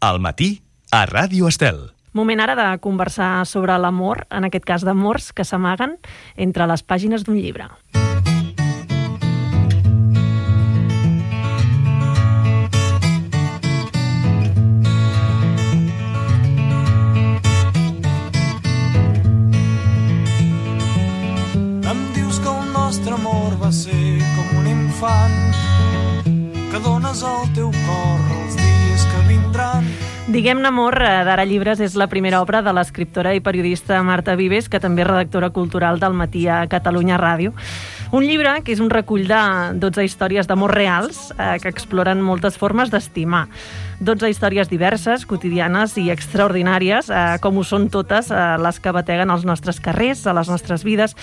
Al matí, a Ràdio Estel. Moment ara de conversar sobre l'amor, en aquest cas d'amors que s'amaguen entre les pàgines d'un llibre. Em dius que el nostre amor va ser com un infant, que dones al teu cor els dies que vindran. Diguem-ne amor, d'Ara Llibres, és la primera obra de l'escriptora i periodista Marta Vives, que també és redactora cultural del Matí a Catalunya Ràdio. Un llibre que és un recull de 12 històries d'amor reals que exploren moltes formes d'estimar. 12 històries diverses, quotidianes i extraordinàries, com ho són totes les que bateguen als nostres carrers, a les nostres vides.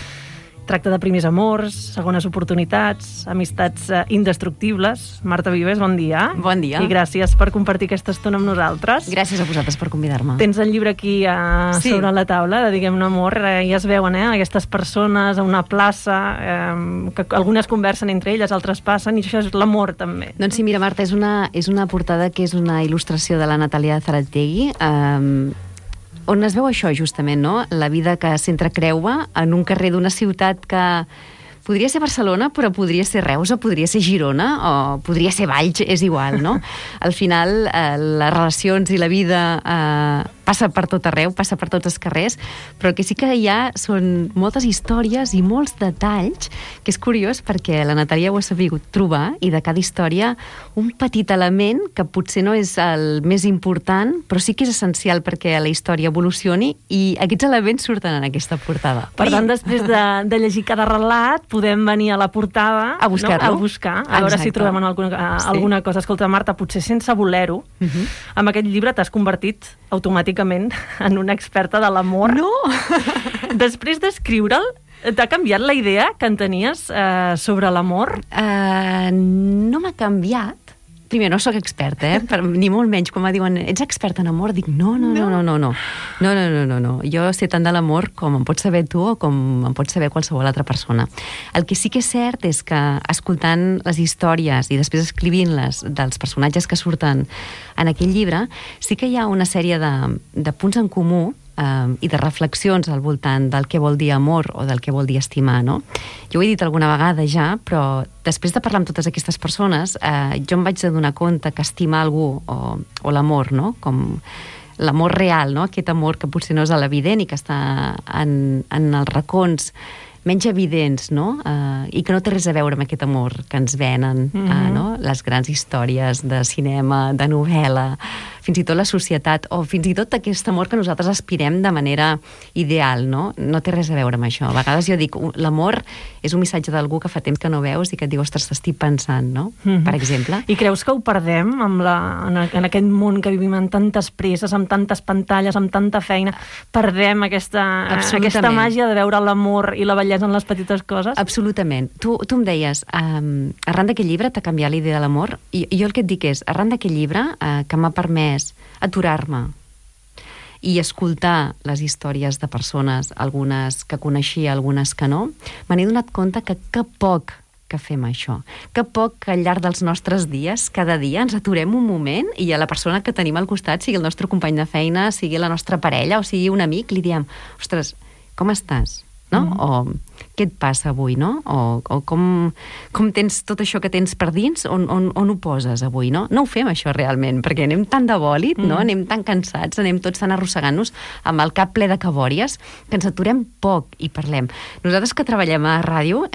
Tracta de primers amors, segones oportunitats, amistats indestructibles. Marta Vives, bon dia. Bon dia. I gràcies per compartir aquesta estona amb nosaltres. Gràcies a vosaltres per convidar-me. Tens el llibre aquí sobre la taula, de Diguem-ne amor, i es veuen aquestes persones a una plaça, que algunes conversen entre elles, altres passen, i això és l'amor també. Doncs sí, mira, Marta, és una portada que és una il·lustració de la Natàlia Zarategui, on es veu això, justament, no? La vida que s'entrecreua en un carrer d'una ciutat que podria ser Barcelona, però podria ser Reus, o podria ser Girona, o podria ser Valls, és igual, no? Al final, les relacions i la vida passa per tot arreu, passa per tots els carrers, però el que sí que hi ha són moltes històries i molts detalls, que és curiós perquè la Natàlia ho ha sabut trobar, i de cada història un petit element que potser no és el més important, però sí que és essencial perquè la història evolucioni, i aquests elements surten en aquesta portada. Per tant, després de llegir cada relat, podem venir a la portada a buscar-lo, a buscar, a veure si trobem alguna cosa. Escolta, Marta, potser sense voler-ho, amb aquest llibre t'has convertit automàticament en una experta de l'amor. No! Després d'escriure'l, t'ha canviat la idea que en tenies sobre l'amor? No m'ha canviat. Primer, no sóc experta, ni molt menys. Quan em diuen, ets experta en amor? Dic, no. Jo sé tant de l'amor com em pots saber tu o com em pots saber qualsevol altra persona. El que sí que és cert és que, escoltant les històries i després escrivint-les dels personatges que surten en aquell llibre, sí que hi ha una sèrie de punts en comú i de reflexions al voltant del que vol dir amor o del que vol dir estimar, no? Jo ho he dit alguna vegada ja, però després de parlar amb totes aquestes persones, jo em vaig adonar compte que estimar algú o l'amor, no? Com l'amor real, no? Aquest amor que potser no és a l'evident i que està en els racons menys evidents, no? I que no té res a veure amb aquest amor que ens venen, no? Les grans històries de cinema, de novel·la, fins i tot la societat, o fins i tot aquest amor que nosaltres aspirem de manera ideal, no? No té res a veure amb això. A vegades jo dic, l'amor és un missatge d'algú que fa temps que no veus i que et diu, ostres, t'estic pensant, no? Per exemple. I creus que ho perdem en aquest món que vivim amb tantes presses, amb tantes pantalles, amb tanta feina? Perdem aquesta màgia de veure l'amor i la bellesa en les petites coses? Absolutament. Tu em deies, arran d'aquest llibre t'ha canviat la idea de l'amor, i jo el que et dic és, arran d'aquest llibre que m'ha permès aturar-me i escoltar les històries de persones, algunes que coneixia, algunes que no, me n'he donat compte que poc que fem això, que poc que al llarg dels nostres dies, cada dia, ens aturem un moment i a la persona que tenim al costat, sigui el nostre company de feina, sigui la nostra parella o sigui un amic, li diem, ostres, com estàs? No? O què et passa avui, no? O com tens tot això que tens per dins, on ho poses avui, no? No ho fem això realment, perquè anem tan de bòlit, no? Anem tan cansats, anem tots tan arrossegant-nos amb el cap ple de cabòries, que ens aturem poc i parlem. Nosaltres que treballem a ràdio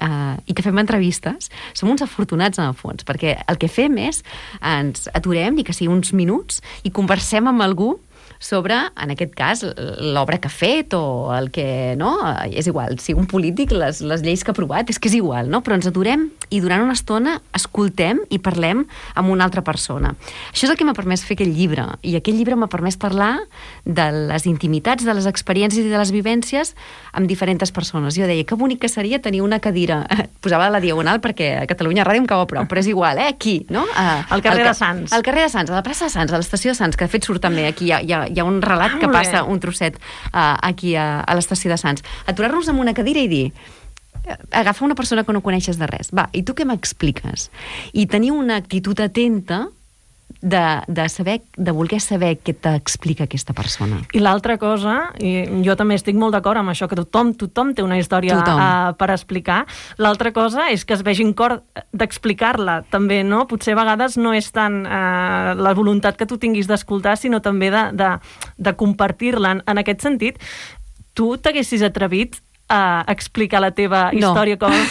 i que fem entrevistes, som uns afortunats en el fons, perquè el que fem és ens aturem, ni que sigui uns minuts, i conversem amb algú sobre, en aquest cas, l'obra que ha fet o el que, no? És igual, si un polític, les lleis que ha aprovat, és que és igual, no? Però ens aturem i durant una estona escoltem i parlem amb una altra persona. Això és el que m'ha permès fer aquell llibre, i aquell llibre m'ha permès parlar de les intimitats, de les experiències i de les vivències amb diferents persones. Jo deia, que bonic que seria tenir una cadira, posava la diagonal perquè a Catalunya Ràdio em cau a prop, però és igual, aquí, no? Al carrer de Sants. Al carrer de Sants, a la plaça de Sants, a l'estació de Sants, que de fet surt també aquí, hi ha un relat que passa un trosset aquí a l'estació de Sants. Aturar-nos en una cadira i dir, agafa una persona que no coneixes de res, va, i tu què m'expliques? I tenir una actitud atenta de voler saber què t'explica aquesta persona. I l'altra cosa, i jo també estic molt d'acord amb això, que tothom té una història per explicar. L'altra cosa és que es vegin cor d'explicar-la, també, no? Potser a vegades no és tant la voluntat que tu tinguis d'escoltar, sinó també de compartir-la. En aquest sentit, tu t'haguessis atrevit a explicar la teva història com han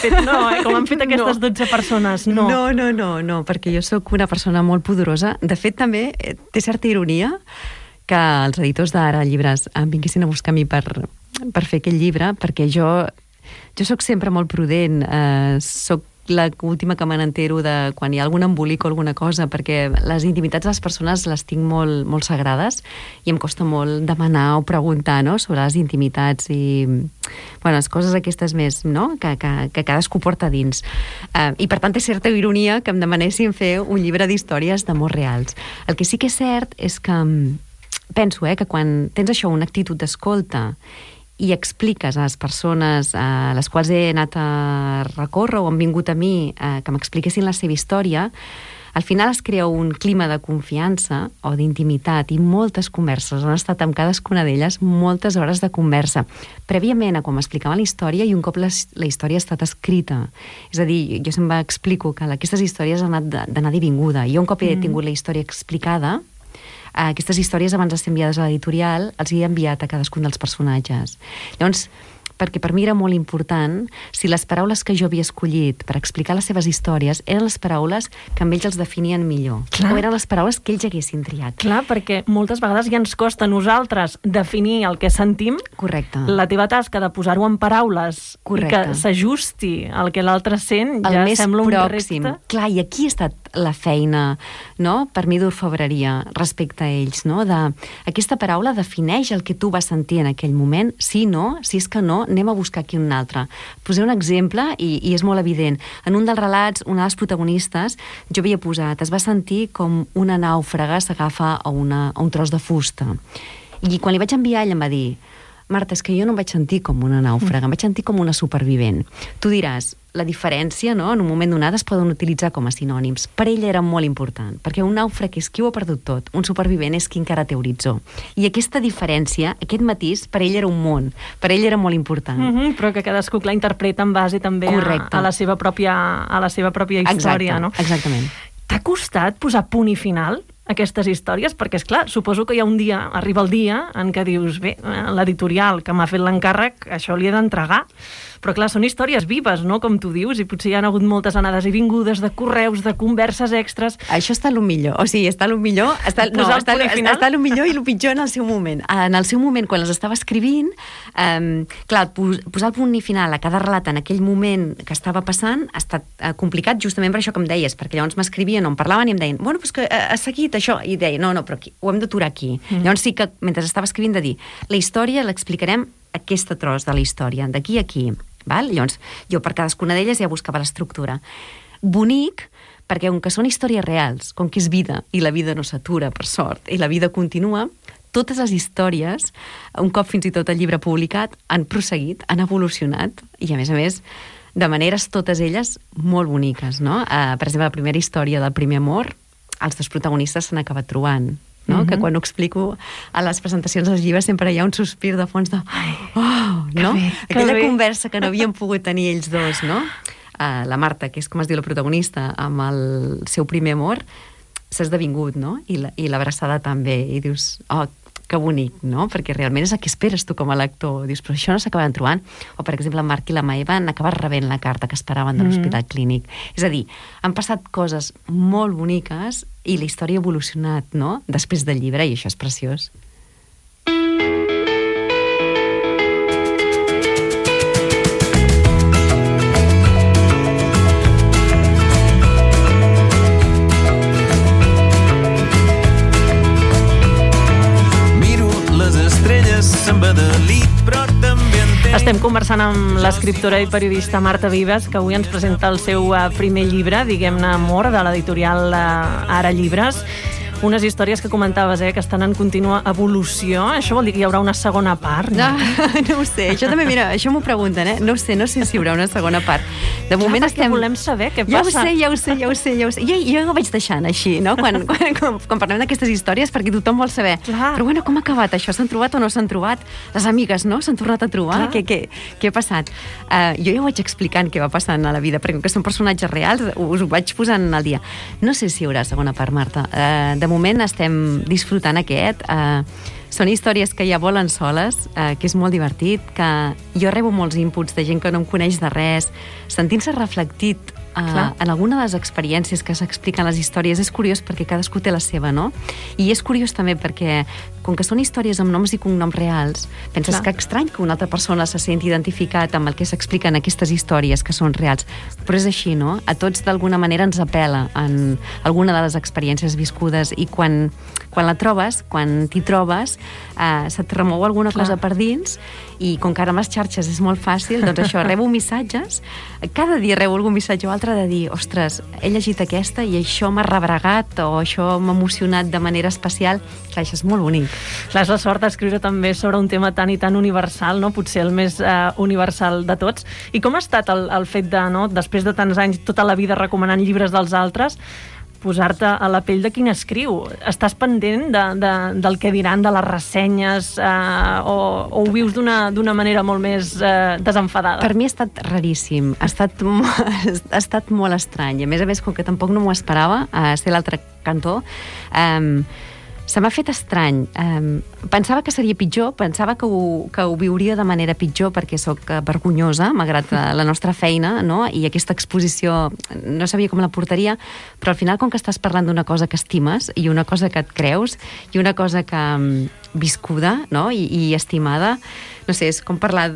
fet aquestes 12 persones? No, perquè jo sóc una persona molt pudorosa. De fet, també té certa ironia que els editors d'Ara Llibres em vinguessin a buscar a mi per fer aquest llibre, perquè jo sóc sempre molt prudent, sóc l'última que me n'entero de quan hi ha algun embolic o alguna cosa, perquè les intimitats de les persones les tinc molt, molt sagrades i em costa molt demanar o preguntar, no?, sobre les intimitats i les coses aquestes més, no?, que cadascú porta dins. I per tant té certa ironia que em demanessin fer un llibre d'històries d'amor reals. El que sí que és cert és que penso que quan tens això, una actitud d'escolta i expliques a les persones a les quals he anat a recórrer o han vingut a mi que m'expliquessin la seva història, al final es crea un clima de confiança o d'intimitat i moltes converses. Han estat amb cadascuna d'elles moltes hores de conversa, prèviament a quan m'explicaven la història i un cop la història ha estat escrita. És a dir, jo sempre explico que aquestes històries han anat d'anada i vinguda. Jo un cop he tingut la història explicada, aquestes històries abans de ser enviades a l'editorial els he enviat a cadascun dels personatges. Llavors, perquè per mi era molt important si les paraules que jo havia escollit per explicar les seves històries eren les paraules que amb ells els definien millor. Clar. O eren les paraules que ells haguessin triat. Clar, perquè moltes vegades ja ens costa a nosaltres definir el que sentim. Correcte. La teva tasca de posar-ho en paraules i que s'ajusti al que l'altre sent ja sembla un repte. Clar, i aquí ha estat la feina, no?, per mi d'orfebreria respecte a ells, no?, aquesta paraula defineix el que tu vas sentir en aquell moment, si és que no, anem a buscar aquí un altre. Posaré un exemple i és molt evident. En un dels relats, una de les protagonistes, jo havia posat, es va sentir com una nàufraga s'agafa a un tros de fusta. I quan li vaig enviar, ella em va dir: Marta, és que jo no em vaig sentir com una nàufraga, em vaig sentir com una supervivent. Tu diràs, la diferència, no?, en un moment donat es poden utilitzar com a sinònims. Per ella era molt important, perquè un nàufrag és qui ho ha perdut tot, un supervivent és qui encara té horitzó. I aquesta diferència, aquest matís, per ella era un món, per ella era molt important. Però que cadascú la interpreta en base també a la seva pròpia història, no? Exactament. T'ha costat posar punt i final aquestes històries? Perquè, esclar, suposo que hi ha un dia, arriba el dia en què dius, bé, l'editorial que m'ha fet l'encàrrec, això li he d'entregar. Però, clar, són històries vives, no?, com tu dius, i potser hi ha hagut moltes anades i vingudes de correus, de converses extres. Això està el millor, o sigui, està el millor, està el millor i el pitjor en el seu moment. En el seu moment, quan les estava escrivint, clar, posar el punt i final a cada relat en aquell moment que estava passant ha estat complicat justament per això que em deies, perquè llavors m'escrivien o em parlaven i em deien, bueno, doncs que ha seguit això, i deia, no, però aquí, ho hem d'aturar aquí. Llavors sí que, mentre estava escrivint, de dir, la història l'explicarem aquesta tros de la història, d'aquí a aquí. Val? Llavors, jo per cadascuna d'elles ja buscava l'estructura. Bonic, perquè com que són històries reals, com que és vida, i la vida no s'atura, per sort, i la vida continua, totes les històries, un cop fins i tot el llibre publicat, han prosseguit, han evolucionat, i a més, de maneres totes elles molt boniques, no? Per exemple, la primera història del primer amor, els dos protagonistes s'han acabat trobant, no? Que quan ho explico a les presentacions dels llibres sempre hi ha un sospir de fons de no? Aquella conversa que no havien pogut tenir ells dos, no? La Marta, que és com es diu la protagonista, amb el seu primer amor, s'ha esdevingut, no? I l'abraçada també, i dius, que bonic, no? Perquè realment és el que esperes tu com a lector. Dius, però això no s'acaben trobant. O, per exemple, en Marc i la Maeva han acabat rebent la carta que esperaven de l'Hospital Clínic. És a dir, han passat coses molt boniques i la història ha evolucionat, no?, després del llibre, i això és preciós. Estem conversant amb l'escriptora i periodista Marta Vives, que avui ens presenta el seu primer llibre, diguem-ne Amor, de l'editorial Ara Llibres. Unes històries que comentaves, que estan en contínua evolució. Això vol dir que hi haurà una segona part? No ho sé, això també, mira, això m'ho pregunten, No ho sé si hi haurà una segona part. De moment estem... volem saber què passa. Ja ho sé. Jo ho vaig deixant així, no? Quan parlem d'aquestes històries, perquè tothom vol saber. Clar. Però bueno, com ha acabat això? S'han trobat o no s'han trobat? Les amigues, no? S'han tornat a trobar? Què ha passat? Jo ja ho vaig explicant què va passant a la vida, perquè com que són personatges reals, us ho vaig posant al dia. No sé si hi haurà segona part, Marta. De moment estem disfrutant aquest. Són històries que ja volen soles, que és molt divertit, que jo rebo molts inputs de gent que no em coneix de res, sentint-se reflectit en alguna de les experiències que s'expliquen les històries. És curiós perquè cadascú té la seva, no? I és curiós també perquè, com que són històries amb noms i cognoms reals, penses que estrany que una altra persona se senti identificat amb el que s'expliquen aquestes històries que són reals. Però és així, no? A tots d'alguna manera ens apela en alguna de les experiències viscudes, i quan la trobes, quan t'hi trobes, se't remou alguna cosa per dins, i com que ara amb les xarxes és molt fàcil, doncs això, rebo missatges, cada dia rebo algun missatge o altre de dir, ostres, he llegit aquesta i això m'ha rebregat, o això m'ha emocionat de manera especial. Clar, això és molt bonic. Clar, és la sort d'escriure també sobre un tema tan i tan universal, no? Potser el més universal de tots. I com ha estat el fet de, no, després de tants anys, tota la vida recomanant llibres dels altres, posar-te a la pell de qui n'escriu? Estàs pendent del que diran, de les ressenyes, o ho vius d'una manera molt més desenfadada? Per mi ha estat raríssim, ha estat molt estrany. A més, com que tampoc no m'ho esperava, ser l'altre cantó, se m'ha fet estrany. Pensava que seria pitjor, pensava que ho viuria de manera pitjor perquè sóc vergonyosa, malgrat la nostra feina, no? I aquesta exposició no sabia com la portaria, però al final, com que estàs parlant d'una cosa que estimes i una cosa que et creus i una cosa que viscuda, no? I estimada, no sé, és com parlar,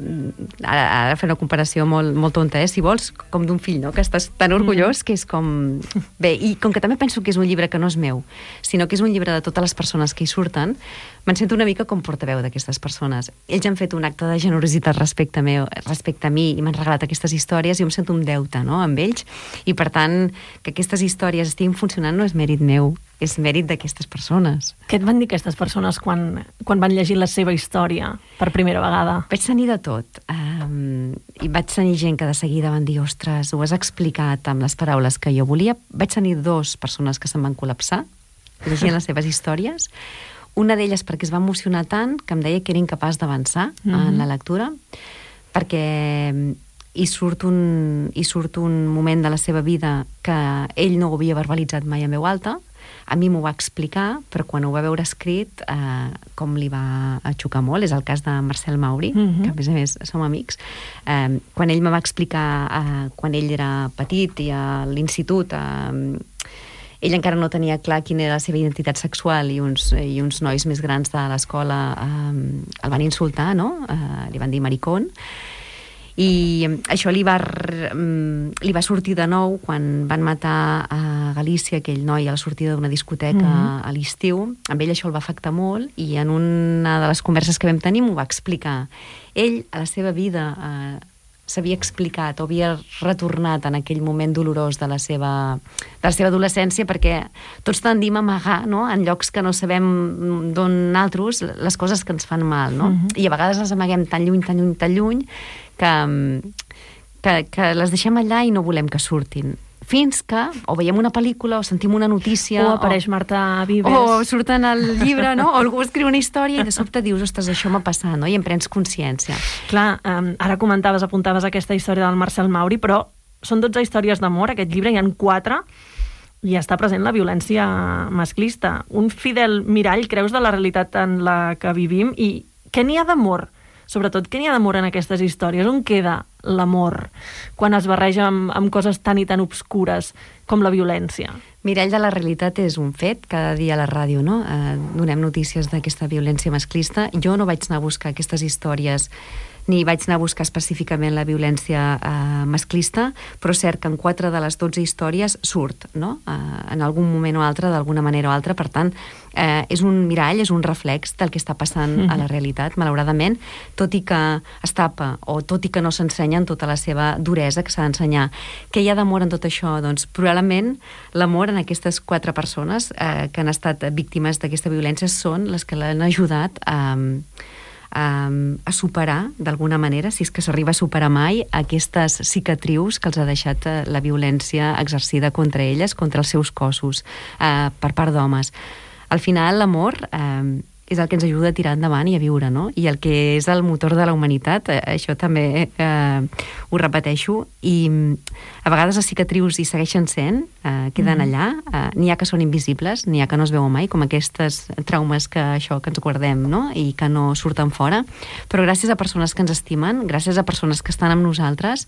ara fer una comparació molt tonta, si vols, com d'un fill, no? Que estàs tan orgullós que és com... Bé, i com que també penso que és un llibre que no és meu, sinó que és un llibre de totes les persones que hi surten, me'n sento una mica com portaveu d'aquestes persones. Ells han fet un acte de generositat respecte a mi i m'han regalat aquestes històries, i jo em sento un deute, no?, amb ells, i per tant, que aquestes històries estiguin funcionant no és mèrit meu, és mèrit d'aquestes persones. Què et van dir aquestes persones quan van llegir la seva història per primera vegada? Vaig tenir de tot. I vaig tenir gent que de seguida van dir, ostres, ho has explicat amb les paraules que jo volia. Vaig tenir 2 persones que se'm van col·lapsar llegint les seves històries. Una d'elles perquè es va emocionar tant que em deia que era incapaç d'avançar en la lectura, perquè hi surt un moment de la seva vida que ell no ho havia verbalitzat mai en veu alta. A mi m'ho va explicar, però quan ho va veure escrit, com li va xocar molt. És el cas de Marcel Mauri, que a més som amics. Quan ell me va explicar, quan ell era petit i a l'institut, ell encara no tenia clar quina era la seva identitat sexual, i uns nois més grans de l'escola el van insultar, no? Li van dir maricón. I això li va sortir de nou quan van matar a Galícia aquell noi a la sortida d'una discoteca a l'estiu. Amb ell això el va afectar molt, i en una de les converses que vam tenir m'ho va explicar. Ell, a la seva vida, s'havia explicat o havia retornat en aquell moment dolorós de la seva adolescència, perquè tots tendim a amagar, no?, en llocs que no sabem d'on altres, les coses que ens fan mal, no? I a vegades les amaguem tan lluny, que les deixem allà i no volem que surtin. Fins que o veiem una pel·lícula o sentim una notícia, o apareix Marta Vives, o surten al llibre, no? O algú escriu una història i de sobte dius, ostres, això m'ha passat, no? I en prens consciència. Clar, ara apuntaves aquesta història del Marcel Mauri, però són 12 històries d'amor, aquest llibre, hi ha 4, i està present la violència masclista. Un fidel mirall, creus, de la realitat en la que vivim, i què n'hi ha d'amor? Sobretot, què n'hi ha d'amor en aquestes històries? On queda l'amor quan es barreja amb coses tan i tan obscures com la violència? Mirall de la realitat és un fet, cada dia a la ràdio, no? Donem notícies d'aquesta violència masclista. Jo no vaig anar a buscar aquestes històries ni vaig anar a buscar específicament la violència masclista, però és cert que en 4 de les 12 històries surt, no? En algun moment o altre, d'alguna manera o altra. Per tant, és un mirall, és un reflex del que està passant a la realitat, malauradament, tot i que es tapa o tot i que no s'ensenya en tota la seva duresa que s'ha d'ensenyar. Què hi ha d'amor en tot això? Doncs probablement l'amor en aquestes 4 persones que han estat víctimes d'aquesta violència són les que l'han ajudat a superar, d'alguna manera, si és que s'arriba a superar mai, aquestes cicatrius que els ha deixat la violència exercida contra elles, contra els seus cossos, per part d'homes. Al final, l'amor és el que ens ajuda a tirar endavant i a viure, no? I el que és el motor de la humanitat, això també ho repeteixo, i a vegades les cicatrius hi segueixen sent, queden allà, n'hi ha que són invisibles, n'hi ha que no es veuen mai, com aquestes traumes que ens guardem, no? I que no surten fora, però gràcies a persones que ens estimen, gràcies a persones que estan amb nosaltres,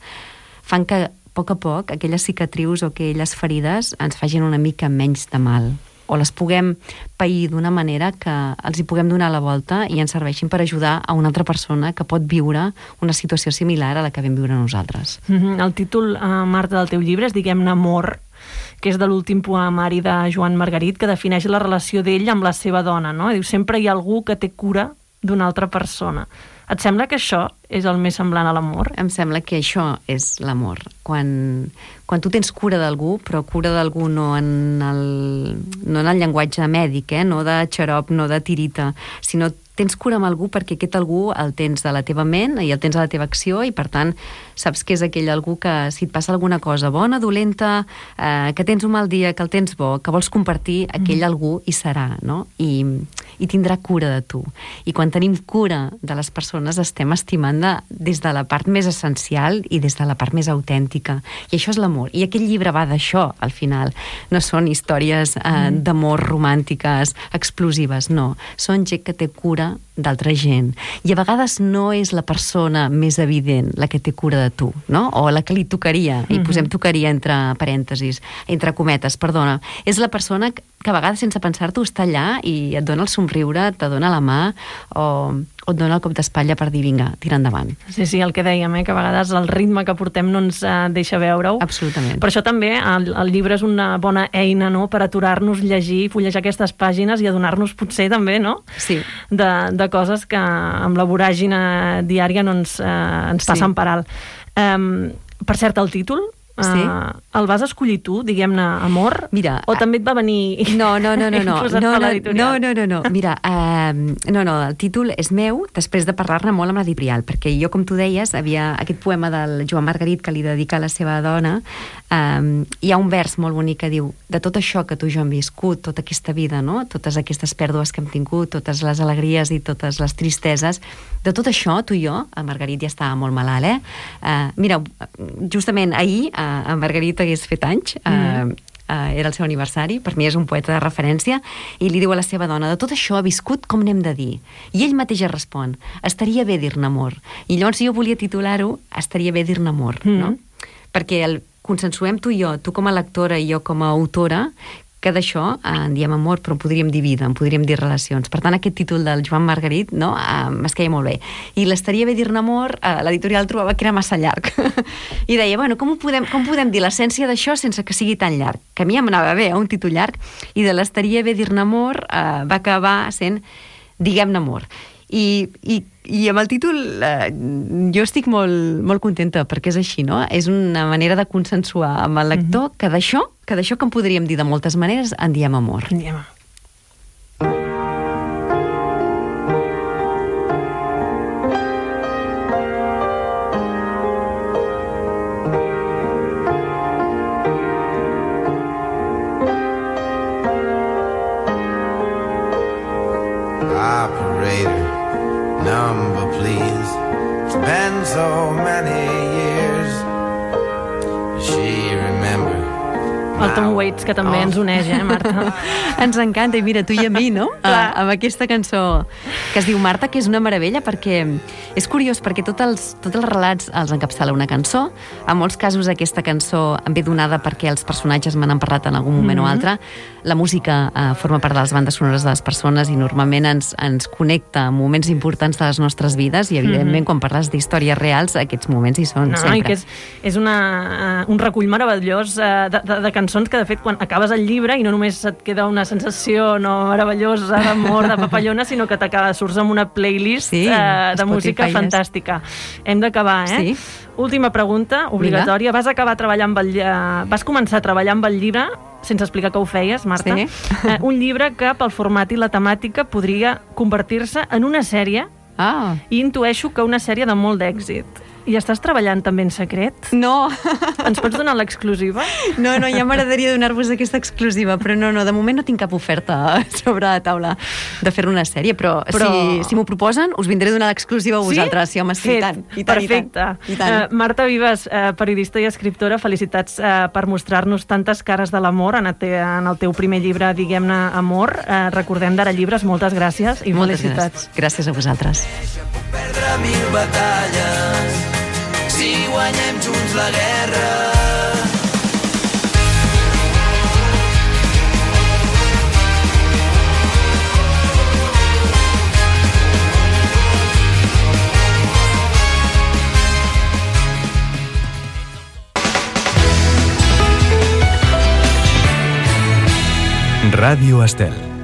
fan que a poc aquelles cicatrius o aquelles ferides ens facin una mica menys de mal, o les puguem pair d'una manera que els hi puguem donar la volta i ens serveixin per ajudar a una altra persona que pot viure una situació similar a la que vam viure nosaltres. El títol, Marta, del teu llibre és, diguem-ne, Amor, que és de l'últim poemari de Joan Margarit, que defineix la relació d'ell amb la seva dona, no? Diu, sempre hi ha algú que té cura d'una altra persona. Et sembla que això és el més semblant a l'amor? Em sembla que això és l'amor. Quan tu tens cura d'algú, però cura d'algú no en el llenguatge mèdic, no de xarop, no de tirita, sinó tens cura amb algú perquè aquest algú el tens a la teva ment i el tens a la teva acció i, per tant, saps que és aquell algú que si et passa alguna cosa bona, dolenta, que tens un mal dia, que el tens bo, que vols compartir, aquell algú hi serà, no? I tindrà cura de tu. I quan tenim cura de les persones estem estimant des de la part més essencial i des de la part més autèntica. I això és l'amor. I aquest llibre va d'això, al final. No són històries d'amor romàntiques, explosives, no. Són gent que té cura d'altra gent. I a vegades no és la persona més evident la que té cura de tu, no? O la que li tocaria, i posem tocaria entre parèntesis, entre cometes, perdona. És la persona que a vegades sense pensar-t'ho està allà i et dona el somriure, te dona la mà o et dona el cop d'espatlla per dir vinga, tira endavant. Sí, el que dèiem, que a vegades el ritme que portem no ens deixa veure-ho. Absolutament. Per això també el llibre és una bona eina, no?, per aturar-nos, llegir, fullejar aquestes pàgines i adonar-nos potser també, no?, sí, de coses que amb la voràgina diària no ens passen per alt. Per cert, el títol, sí, el vas escollir tu, diguem-ne, Amor? Mira, o també et va venir no. posat per l'editorial? No. Mira, el títol és meu després de parlar-ne molt amb l'editorial, perquè jo, com tu deies, havia aquest poema del Joan Margarit que li dedica a la seva dona. Hi ha un vers molt bonic que diu: de tot això que tu i jo hem viscut, tota aquesta vida, no? Totes aquestes pèrdues que hem tingut, totes les alegries i totes les tristeses, de tot això, tu i jo, el Margarit ja estava molt malalt, mira, justament ahir en Margarit hagués fet anys, era el seu aniversari, per mi és un poeta de referència, i li diu a la seva dona: de tot això ha viscut, com n'hem de dir? I ell mateix respon: estaria bé dir-ne amor. I llavors jo volia titular-ho Estaria bé dir-ne amor, no? Perquè consensuem tu i jo, tu com a lectora i jo com a autora, que d'això en diem amor, però podríem dir vida, en podríem dir relacions. Per tant, aquest títol del Joan Margarit, no, m'esqueia molt bé. I l'Estaria bé dir-ne amor, l'editorial trobava que era massa llarg. I deia, bueno, com podem dir l'essència d'això sense que sigui tan llarg? Que a mi em anava bé, un títol llarg, i de l'Estaria bé dir-ne amor va acabar sent Diguem-ne amor. I amb el títol jo estic molt, molt contenta, perquè és així, no? És una manera de consensuar amb el lector que d'això que en podríem dir de moltes maneres, en diem amor. En diem amor. Number, please. It's been so many years. She remember El Tom Waits, que també ens uneix, Marta? Ens encanta, i mira, tu i a mi, no? Clar. Amb aquesta cançó que es diu Marta, que és una meravella, perquè és curiós, perquè tots els relats els encapçala una cançó. En molts casos aquesta cançó em ve donada perquè els personatges me n'han parlat en algun moment o altre. La música forma part de les bandes sonores de les persones i normalment ens connecta amb moments importants de les nostres vides i, evidentment, quan parles d'històries reals, aquests moments hi són sempre. I que és un recull meravellós de cançons que, de fet, quan acabes el llibre i no només et queda una sensació meravellosa d'amor, de papallona, sinó que surts amb una playlist de música fantàstica. Hem d'acabar, Sí. Última pregunta, obligatòria. Vas començar a treballar amb el llibre sense explicar que ho feies, Marta. Sí. Un llibre que, pel format i la temàtica, podria convertir-se en una sèrie i intueixo que una sèrie de molt d'èxit. I estàs treballant també en secret? No. Ens pots donar l'exclusiva? No, ja m'agradaria donar-vos aquesta exclusiva, però no, de moment no tinc cap oferta sobre la taula de fer una sèrie, però si m'ho proposen, us vindré a donar l'exclusiva a vosaltres. Sí, home, sí, i tant. Perfecte. I tant. Marta Vives, periodista i escriptora, felicitats per mostrar-nos tantes cares de l'amor en el teu primer llibre, diguem-ne, Amor. Recordem d'Ara Llibres, moltes gràcies i felicitats. Gràcies a vosaltres. Puc perdre 1000 batalles si guanyem junts la guerra. Ràdio Estel.